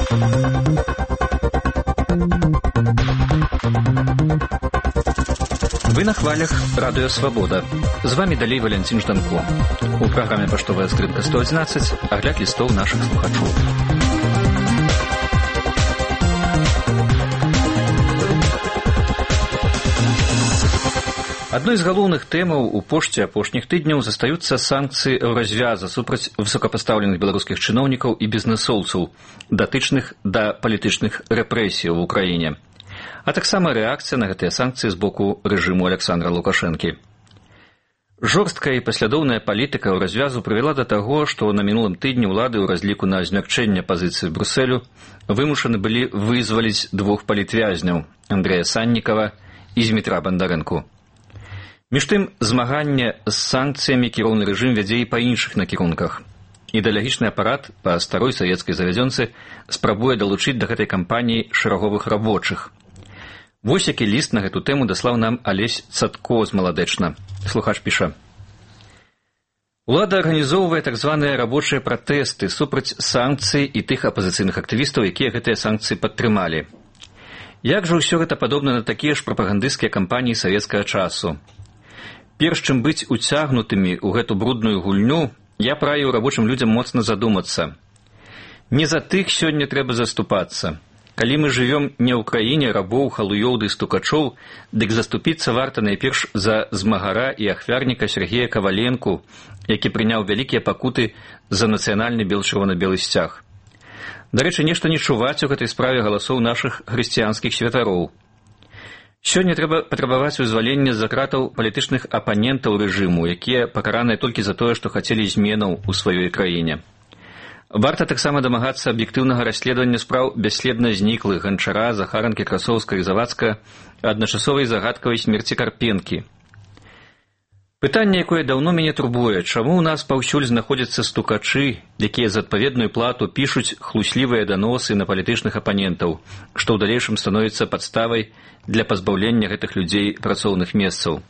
Вы на хвалях Радио Свобода. З вами далей Валентин Жданко. У праграме «Паштовая скрынка 111» агляд лістоў нашых слухачоў. Адной з галоўных тэмаў у пошце апошніх тыдняў застаюцца санкцыі Еўразвяза супраць высокапастаўленых беларускіх чыноўнікаў і бізнэсоўцаў, датычных да палітычных рэпрэсіяў у краіне, а таксама рэакцыя на гэтыя санкцыі з боку рэжыму Александра Лукашэнкі. Жорсткая і паслядоўная палітыка Еўразвязу прывяла да таго, што на мінулым тыдні ўлады ў разліку на змякчэнне пазіцыі Брусэлю вымушаны былі вызваліць двух палітвязняў – Андрэя Саннікава і Змітра Бандарэнку. Між тым, змаганне з санкцыямі кіроўны рэжым вядзе і па іншых накірунках. Ідэалагічны апарат па старой савецкай завядзёнцы спрабуе далучыць да гэтай кампаніі шэраговых рабочых. Вось які ліст на гэту тэму даслаў нам Алесь Цатко з Маладэчна. Слухач піша. Улада арганізоўвае так званыя рабочыя пратэсты супраць санкцый і тых апазіцыйных актывістаў, якія гэтыя санкцыі падтрымалі. Як жа ўсё гэта падобна на такія ж прапагандысцкія кампаніі савецкага часу? Перш чым быць уцягнутымі ў гэту брудную гульню, я параіў рабочым людзям моцна задумацца. Не за тых сёння трэба заступацца. Калі мы жывём не ў краіне рабоў, халуёў ды стукачоў, дык заступіцца варта найперш за змагара і ахвярніка Сергея Каваленку, які прыняў вялікія пакуты за нацыянальны бел-чырвона-белы сцяг. Дарэчы, нешта не чуваць у гэтай справе галасоў нашых хрысціянскіх святароў. Сёння трэба патрабаваць вызвалення з-за кратаў палітычных апанентаў рэжыму, якія пакараныя толькі за тое, што хацелі зменаў у сваёй краіне. Варта таксама дамагацца аб'ектыўнага расследавання спраў бясследна зніклых Ганчара, Захаранкі, Красоўска і Завадска, адначасовай загадкавай смерці Карпенкі. Пытанне, якое даўно мяне турбуе, чаму ў нас паўсюль знаходзяцца стукачы, якія за адпаведную плату пішуць хлуслівыя даносы на палітычных апанентаў, што ў далейшым становіцца падставай для пазбаўлення гэтых людзей працоўных месцаў.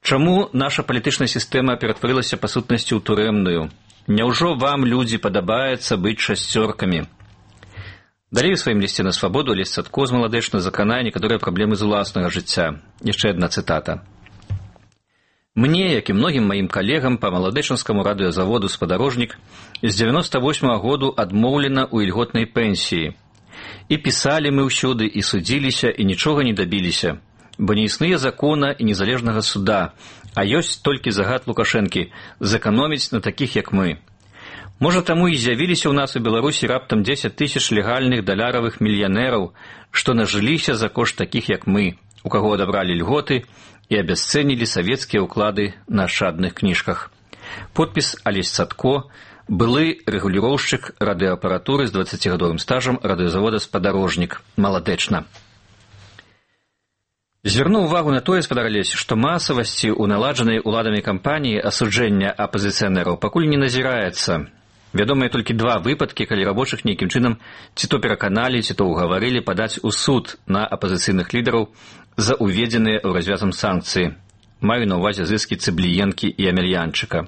Чаму наша палітычная сістэма ператварылася па сутнасці ў турэмную? Няўжо вам, людзі, падабаецца быць шасцёркамі? Далей у сваім лісце на свабоду Алесь Цатко з Маладэчна закранае некаторыя праблемы з уласнага жыцця. Яшчэ адна цытата. Мне, як і многім маім калегам па маладэчнскаму радыёзаводу «Спадарожнік», з 98-го году адмоўлена ў ільготнай пенсіі. І пісалі мы ўсюды, і судзіліся, і нічога не дабіліся, бо не існуе закона і незалежнага суда, а ёсць толькі загад Лукашэнкі зэканоміць на такіх, як мы. Можа, таму і з'явіліся ў нас у Беларусі раптам 10 тысяч легальных даляравых мільянераў, што нажыліся за кошт такіх, як мы, у каго адабралі льготы і абясцэнілі савецкія ўклады на ашчадных кніжках. Подпіс Алесь Цатко, былы рэгуліроўшчык радыёапаратуры з 20гадовым стажам радыёзавода «Спадарожнік», Маладэчна. Звярнуў увагу на тое, спадар Алесь, што масавасці ў наладжанай уладамі кампаніі асуджэння апазіцыянераў пакуль не назіраецца. Вядомыя толькі два выпадкі, калі рабочых нейкім чынам ці то пераканалі, ці то ўгаварылі падаць у суд на апазіцыйных лідараў за уведзеныя Еўразвязам санкцыі. Маю на ўвазе зыскі Цыбліенкі і Амельянчыка.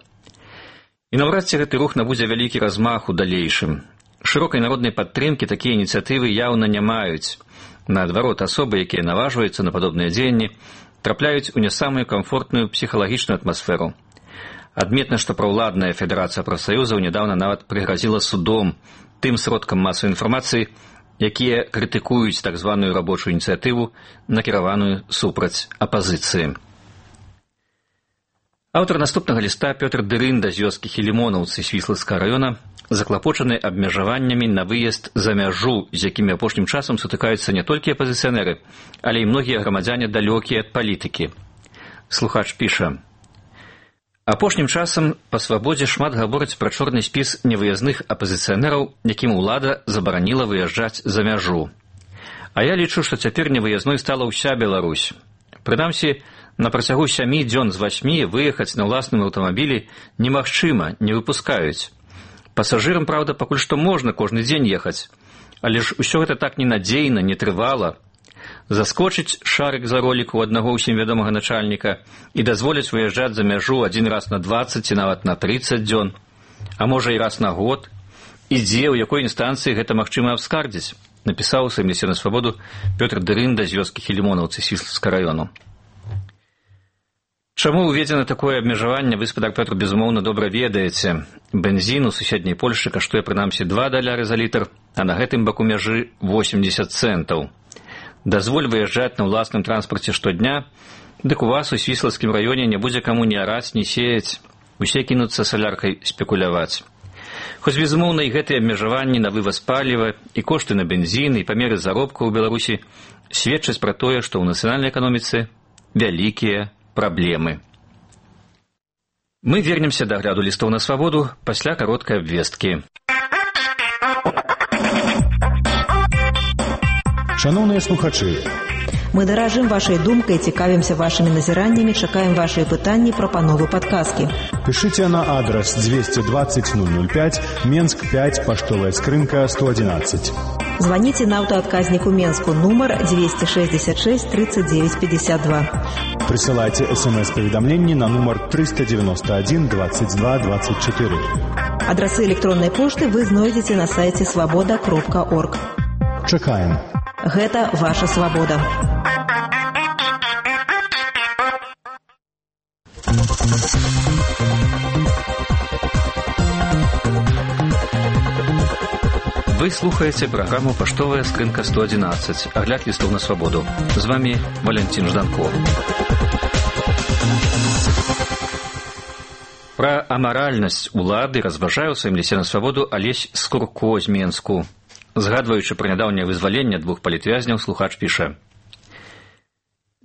І наўрад ці гэты рух набудзе вялікі размах у далейшым. Шырокай народнай падтрымкі такія ініцыятывы яўна не маюць. Наадварот, асобы, якія наважваюцца на падобныя дзеянні, трапляюць у не самую камфортную псіхалагічную атмасферу. Адметна, што праўладная федэрацыя прафсаюзаў нядаўна нават прыгразіла судом тым сродкам масавай інфармацыі, якія крытыкуюць так званую рабочую ініцыятыву, накіраваную супраць апазіцыі. Аўтар наступнага ліста Пётр Дырында з вёскі Хілімонаўцы Свіслацкага раёна заклапочаны абмежаваннямі на выезд за мяжу, з якімі апошнім часам сутыкаюцца не толькі апазіцыянеры, але і многія грамадзяне далёкія ад палітыкі. Слухач піша. Апошнім часам па свабодзе шмат гавораць пра чорны спіс невыязных апазіцыянераў, якім улада забараніла выязджаць за мяжу. А я лічу, што цяпер невыязной стала ўся Беларусь. Прынамсі, на працягу 7 дзён з 8 выехаць на ўласным аўтамабілі немагчыма, не выпускаюць. Пасажырам, праўда, пакуль што можна кожны дзень ехаць, але ж усё гэта так ненадзейна, нетрывала. Заскочыць шарык за ролік у аднаго ўсім вядомага начальніка і дазволіць выязджаць за мяжу адзін раз на 20 ці нават на 30 дзён, а можа і раз на год, і дзе, ў якой інстанцыі гэта магчыма абскардзіць, напісаў у сваім лісце на свабоду Пётр Дырында з вёскі Хілімонаўцы Свіслаўскага раёну. Чаму ўведзена такое абмежаванне, вы, спадар Пётр, безумоўна, добра ведаеце. Бензін у суседняй Польшчы каштуе прынамсі $2 за літр, а на гэтым баку мяжы 80 цэнтаў. Дазволь выязджаць на ўласным транспарце штодня, дык у вас у Свіслаўскім раёне не будзе каму ні араць, ні сеяць, усе кінуцца саляркай спекуляваць. Хоць, безумоўна, і гэтыя абмежаванні на вываз паліва, і кошты на бензін, і памеры заробкаў у Беларусі сведчаць пра тое, што ў нацыянальнай эканоміцы вялікія праблемы. Мы вернемся да агляду лістоў на свабоду пасля кароткай абвесткі. Шановныя слухачы, мы даражым вашай думкай, цікавімся вашымі назіраннямі, чакаем вашыя пытанні, прапановы, падказкі. Пішыце на адрас 220 005, Менск 5, паштовая скрынка 111. Звоните на аўтаадказніку Менску, нумар 266 39 52. Присылайте СМС-паведамленні на нумар 391 22 24. Адрасы электроннай пошты вы знойдзеце на сайце свабода.орг. Чакаем. Гэта ваша свабода. Вы слухаеце праграму «Паштовая скрынка 111», агляд лістов на свабоду. З вами Валентин Жданко. Пра амаральнасць улады разважае ў сваім лісце на свабоду Алесь Скурко з Менску. Згадваючы пра нядаўняе вызваленне 2 палітвязняў, слухач піша: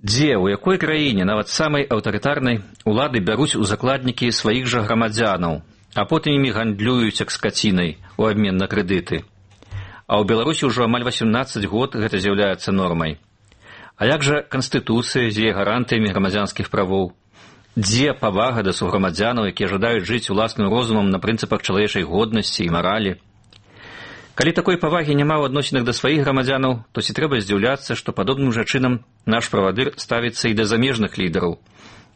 «Дзе, у якой краіне, нават самай аўтарытарнай, улады бяруць у закладнікі сваіх жа грамадзянаў, а потым імі гандлююць як скацінай у абмен на крэдыты. А ў Беларусі ўжо амаль 18 год гэта з'яўляецца нормай. А як жа Канстытуцыя з яе гарантыямі грамадзянскіх правоў? Дзе павага да суграмадзянаў, якія жадаюць жыць уласным розумам на прынцыпах чалавечай годнасці і маралі? Калі такой павагі няма ў адносінах да сваіх грамадзянаў, то ці трэба здзіўляцца, што падобным жа чынам наш правадыр ставіцца і да замежных лідараў.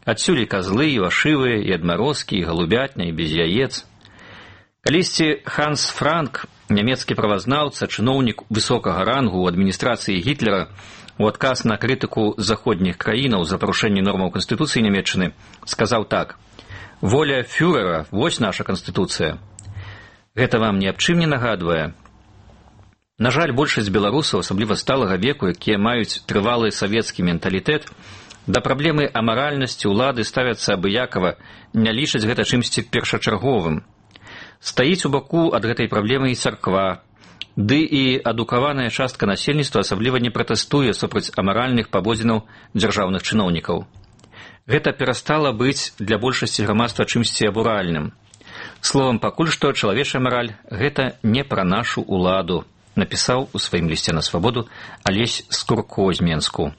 Адсюль і казлы, і вашывыя, і адмарозкі, і галубятня, і без яец. Калісьці Ханс Франк, нямецкі правазнаўца, чыноўнік высокага рангу ў адміністрацыі Гітлера, у адказ на крытыку заходніх краінаў за парушэнне нормаў Канстытуцыі Нямецчыны, сказаў так: «Воля фюрэра, вось наша Канстытуцыя». Гэта вам ні аб чым не нагадвае? На жаль, большасць беларусаў, асабліва сталага веку, якія маюць трывалы савецкі менталітэт, да праблемы амаральнасці ўлады ставяцца абыякава, не лічаць гэта чымсьці першачарговым. Стаіць у баку ад гэтай праблемы і царква, ды і адукаваная частка насельніцтва асабліва не пратэстуе супраць амаральных паводзінаў дзяржаўных чыноўнікаў. Гэта перастала быць для большасці грамадства чымсьці абуральным. Словам, пакуль што чалавечая мараль – гэта не пра нашу ўладу, напісаў у сваім лісце на свабоду Алесь Скурко з Менску.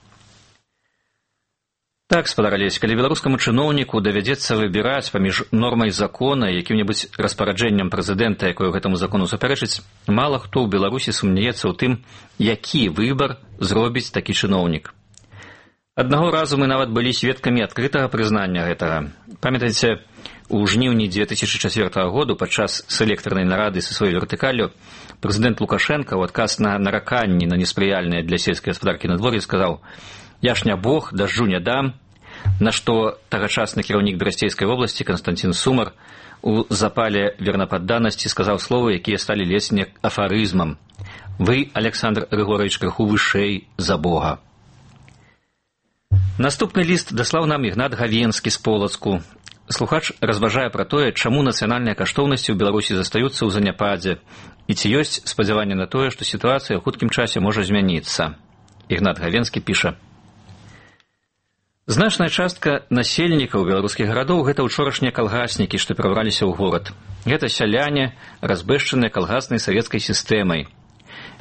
Так, спадар Алесь, калі беларускаму чыноўніку давядзецца выбіраць паміж нормай закона і якім-небудзь распараджэннем прэзідэнта, якое гэтаму закону супярэчыць, мала хто ў Беларусі сумняецца ў тым, які выбар зробіць такі чыноўнік. Аднаго разу мы нават былі сведкамі адкрытага прызнання гэтага. Памятаеце, у жніўні 2004 году падчас селектарнай нарады са сваёй вертыкаллю прэзідэнт Лукашенка ў адказ на нараканні на неспрыяльнае для сельскай гаспадаркі надвор'е сказаў: «Я ж не бог, дажджу не дам», на што тагачасны кіраўнік Берасцейскай вобласці Канстантин Сумар у запале вернападданасці сказаў словы, якія сталі ледзь не афарызмам: «Вы, Александр Григорович, крыху вышэй за Бога». Наступны ліст даслаў нам Ігнат Гавенскі з Полацку. Слухач разважае пра тое, чаму нацыянальныя каштоўнасці ў Беларусі застаюцца ў заняпадзе і ці ёсць спадзяванне на тое, што сітуацыя ў хуткім часе можа змяніцца. Ігнат Гавенскі піша: «Значная частка насельнікаў беларускіх гарадоў – гэта учорашнія калгаснікі, што перабраліся ў горад. Гэта сяляне, разбэшчаныя калгаснай савецкай сістэмай.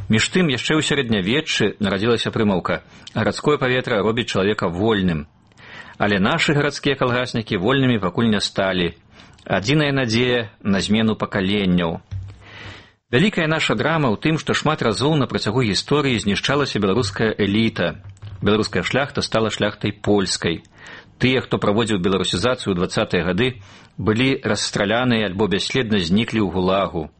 Між тым, яшчэ ў сярэднявеччы нарадзілася прымаўка: «Гарадское паветра робіць чалавека вольным». Але нашы гарадскія калгаснікі вольнымі пакуль не сталі. Адзіная надзея на змену пакаленняў. Вялікая наша драма ў тым, што шмат разоў на працягу гісторыі знішчалася беларуская эліта. Беларуская шляхта стала шляхтай польскай. Тыя, хто праводзіў беларусізацыю ў 20-е гады, былі расстраляныя альбо бясследна зніклі ў гулагу.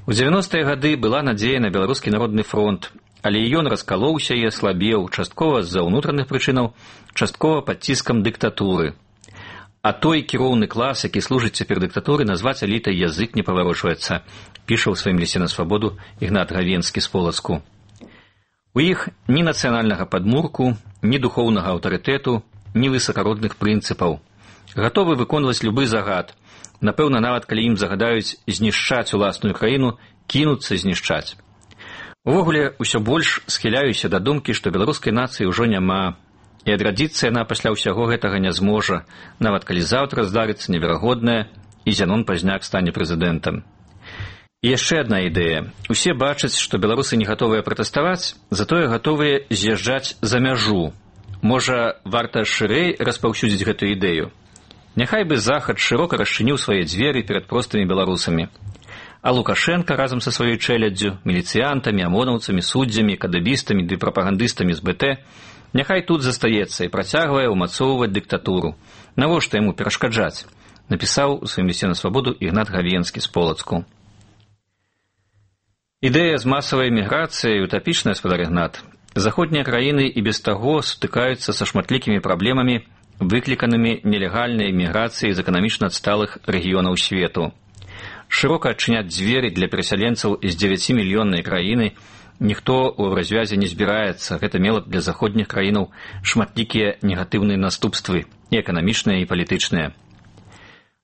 У 90-е гады была надзея на беларускі народны фронт, але ён раскалоўся і аслабеў, часткова з-за ўнутраных прычынаў, часткова пад ціскам дыктатуры. А той кіроўны клас, які служыць цяпер дыктатуры, назваць элітай язык не паварочваецца, піша ў сваім лісце на свабоду Ігнат Гавенскі з Полацку. У іх ні нацыянальнага падмурку, ні духоўнага аўтарытэту, ні высакародных прынцыпаў. Гатовы выконваць любы загад. Напэўна, нават калі ім загадаюць знішчаць уласную краіну, кінуцца знішчаць. Увогуле, усё больш схіляюся да думкі, што беларускай нацыі ўжо няма, і адрадзіцца яна пасля ўсяго гэтага не зможа, нават калі заўтра здарыцца неверагоднае, і Зянон Пазняк стане прэзідэнтам. І яшчэ адна ідэя. Усе бачаць, што беларусы не гатовыя пратэставаць, затое гатовыя з'язджаць за мяжу. Можа, варта шырэй распаўсюдзіць гэтую ідэю? Няхай бы Захад шырока расчыніў свае дзверы перад простымі беларусамі. А Лукашенко разам са сваёй чэляддзю, міліцыянтамі, амонаўцамі, суддзямі, кадэбістамі ды прапагандыстамі з БТ няхай тут застаецца і працягвае ўмацоўваць дыктатуру. Навошта яму перашкаджаць? Напісаў у сваім лісце на свабоду Ігнат Гавенскі з Полацку. Ідэя з масавай міграцыяй утапічная, спадар Ігнат. Заходнія краіны і без таго сутыкаюцца са шматлікімі праблемамі, выкліканымі нелегальнай міграцыяй з эканамічна адсталых рэгіёнаў свету. Шырока адчыняць дзверы для перасяленцаў з 9-мільённай краіны ніхто ў развязе не збіраецца. Гэта мела б для заходніх краінаў шматлікія негатыўныя наступствы, і эканамічныя, і палітычныя.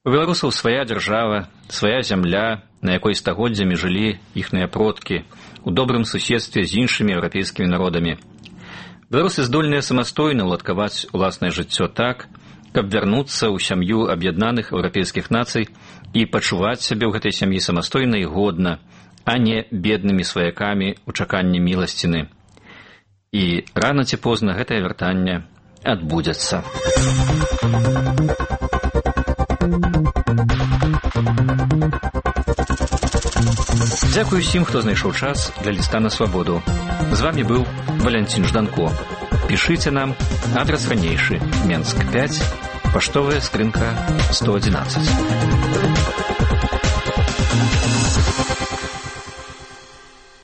У беларусаў свая дзяржава, свая зямля, на якой стагоддзямі жылі іхныя продкі, у добрым суседстве з іншымі еўрапейскімі народамі. Беларусы здольныя самастойна ўладкаваць уласнае жыццё так, каб вярнуцца ў сям'ю аб'яднаных еўрапейскіх нацый і пачуваць сябе ў гэтай сям'і самастойна і годна, а не беднымі сваякамі ў чаканні міласціны. І рана ці позна гэтае вяртанне адбудзецца. Дзякую усім, хто знайшоў час для ліста на свабоду. З вамі быў Валянцін Жданко. Пішыце нам, адрас ранейшы, Менск 5, паштовая скрынка 111.